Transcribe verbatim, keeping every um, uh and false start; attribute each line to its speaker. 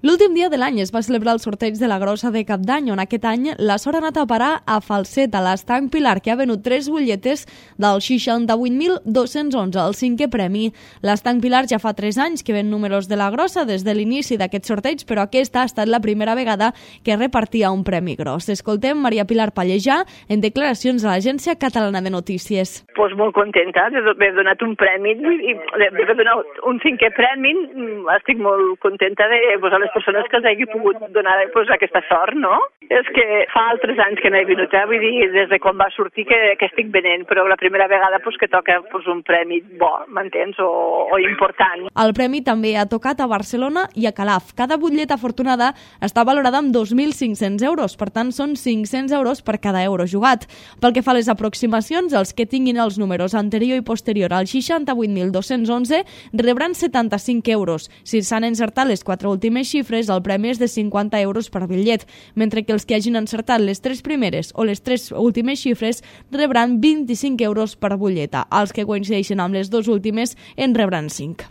Speaker 1: L'últim dia de l'any es va celebrar el sorteig de la Grossa de Cap d'Any, on aquest any la sort ha anat a parar a Falset, a l'Estanc Pilar, que ha venut tres butlletes del seixanta-vuit mil dos-cents onze, el cinquè premi. L'Estanc Pilar ja fa tres anys que ven números de la Grossa des de l'inici d'aquest sorteig, però aquesta ha estat la primera vegada que repartia un premi gros. Escoltem Maria Pilar Pallejà en declaracions a l'Agència Catalana de Notícies.
Speaker 2: Pues molt contenta d'haver donat un premi i d'haver donat un cinquè premi. Estic molt contenta de pues, a les persones que els hagi pogut donar pues, aquesta sort, no? És que fa altres anys que no he vingut, eh? Vull dir, des de quan va sortir que, que estic venent, però la primera vegada pues, que toca pues, un premi bo, m'entens, o, o important.
Speaker 1: El premi també ha tocat a Barcelona i a Calaf. Cada butlleta afortunada està valorada amb dos mil cinc-cents euros, per tant són cinc-cents euros per cada euro jugat. Pel que fa a les aproximacions, els que tinguin els números anterior i posterior al seixanta-vuit mil dos-cents onze rebran setanta-cinc euros. Si s'han encertat les quatre últimes xifres, el premi és de cinquanta euros per bitllet, mentre que els que hagin encertat les tres primeres o les tres últimes xifres rebran vint-i-cinc euros per butlleta. Els que coincideixen amb les dues últimes en rebran cinc.